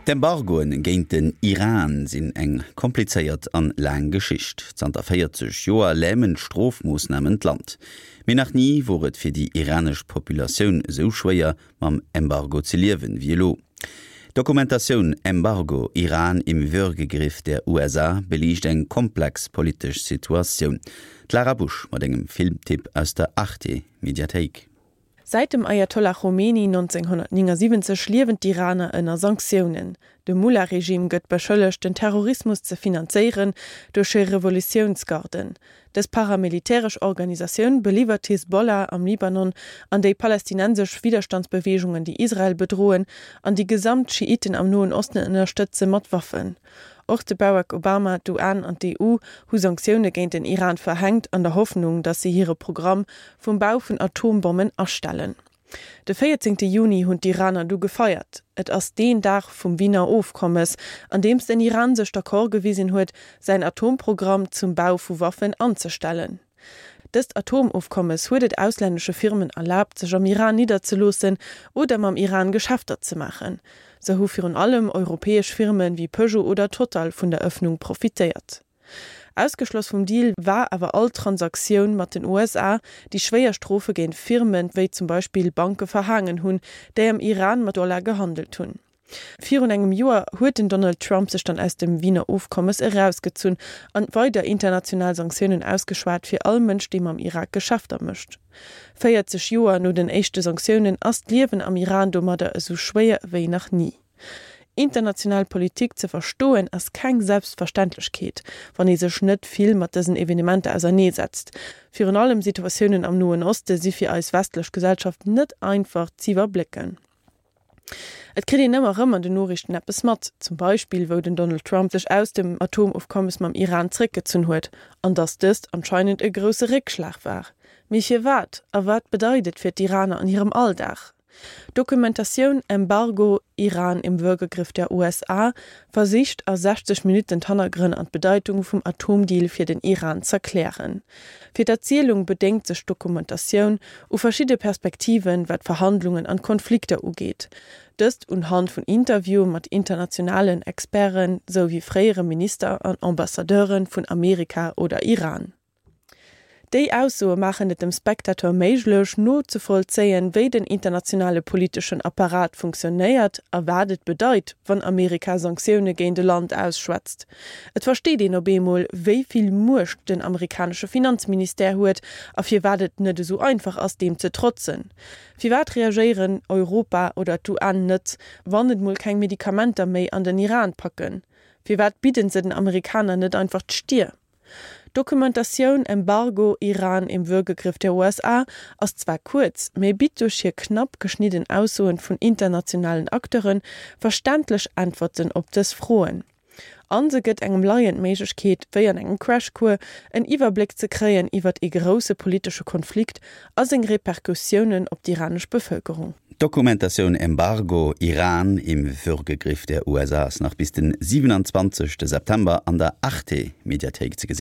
D'Embargoen géint den Iran sinn eng komplizéiert an laang Geschicht. Zanter 40 Joer lämen d'Strofmoossnamen d'Land. Mee nach ni wor et fir déi iranesch Populatioun esou schwéier, mam Embargo ze liewen, wéi elo. D'Dokumentatioun Embargo, Iran im Würgegriff der USA beliicht eng komplex politesch Situatioun. D'Lara Busch mat engem Filmtipp aus der Arte Mediathéik. Säit dem Ayatollah Khomeini 1979 liewen d'Iraner ënner Sanktiounen. De Mullah-Regime gëtt beschëllegt, den Terrorismus ze finanzéieren duerch hir Revolutiounsgarden. Dës paramilitäresch Organisatioun beliwwert d'Hisbollah am Libanon an déi palästinensesch Widderstandsbeweegungen, déi Israel bedroen an déi gesamt Schiiten am Noen Osten ënnerstëtze mat Waffen. Och de Barack Obama, d'UN an d'EU hu Sanktioune géint den Iran verhänkt, an der Hoffnung, datt si hire Programm vum Bau vun Atombommen astellen. De 14 Juni hunn d'Iraner du gefeiert. Et ass deen Dag vum Wiener Ofkommes, an deems den Iran sech d'accord gewisen huet, säin Atomprogramm zum Bau vu Waffen anzestellen. Dëst Atomofkommes huet et auslännesche Firmen erlaabt, sech am Iran nidderzeloossen oder mam Iran Geschäfter ze maachen. Sou hu virun allem europäesch Firme wéi Peugeot oder Total vun der Ëffnung profitéiert. Ausgeschloss vum Deal war awer all Transaktioun mat den USA, déi schwéier Strofe géint Firme wéi zum Beispill Banke verhaangen hunn, déi am Iran mat Dollar gehandelt hunn. Virun engem Joer huet den Donald Trump sech dann aus dem Wiener Ofkommes erausgezunn an weider international Sanktiounen ausgeschwat fir all Mënsch, dee mam Irak Geschäfter mécht. 40 Joer no den éischte Sanktiounen ass d'Liewen am Iran domadder esou schwéier ewéi nach ni. International Politik ze verstoen ass keng Selbstverständlechkeet, wann ee sech net vill mat dësen Evenementer auserneesetzt. Virun allem Situatiounen am Noen Oste si fir eis westlech Gesellschaft net einfach z'iwwerblécken. Et kritt een ëmmer erëm an den Noriichten eppes mat, zum Beispill wou den Donald Trump sech aus dem Atomofkommes mam Iran zréckgezunn huet, an datt dëst anscheinend e grousse Réckschlag war. Mee firwat? A wat bedeit et fir d'Iraner an hirem Alldag? D'Dokumentatioun Embargo, Iran im Würgegriff der USA versicht a 60 Minutten d'Hannergrënn an d'Bedeitung vum Atomdeal fir den Iran z'erklären. Fir d'Erzielung bedéngt sech d'Dokumentatioun u verschidde Perspektiven, wat d'Verhandlungen an d'Konflikter ugeet. Dëst unhand vun Interviewe mat internationalen Experten, sou wéi fréiere Minister an Ambassadeure vun Amerika oder Iran. Déi Aussoe maachen et dem Spectateur méiglech, nozevollzéien, wéi den internationale politeschen Apparat funktionéiert a wat et bedeit, wann Amerika Sanktioune géint e Land ausschwätzt. Et versteet een op eemol, wéi vill Muecht den amerikanesche Finanzministère huet a firwat et net esou einfach ass, deem ze trotzen. Firwat reagéieren Europa oder d'UN net, wann et mol keng Medikamenter méi an den Iran packen? Firwat bidden se den Amerikaner net einfach d'Stier? D'Dokumentatioun Embargo, Iran im Würgegriff der USA ass zwar kuerz, mee bitt duerch hir knapp geschnidden Aussoen vun internationalen Acteure verständlech Äntwerten op dës Froen. A se gëtt engem Laien d'Méiglechkeet, wéi an engem Crashcours, en Iwwerbléck ze kréien iwwert ee grousse politesche Konflikt a seng Repercussiounen op d'iranesch Bevëlkerung. D'Dokumentatioun Embargo, Iran im Würgegriff der USA ass nach bis den 27 September an der Arte Mediathéik ze gesinn.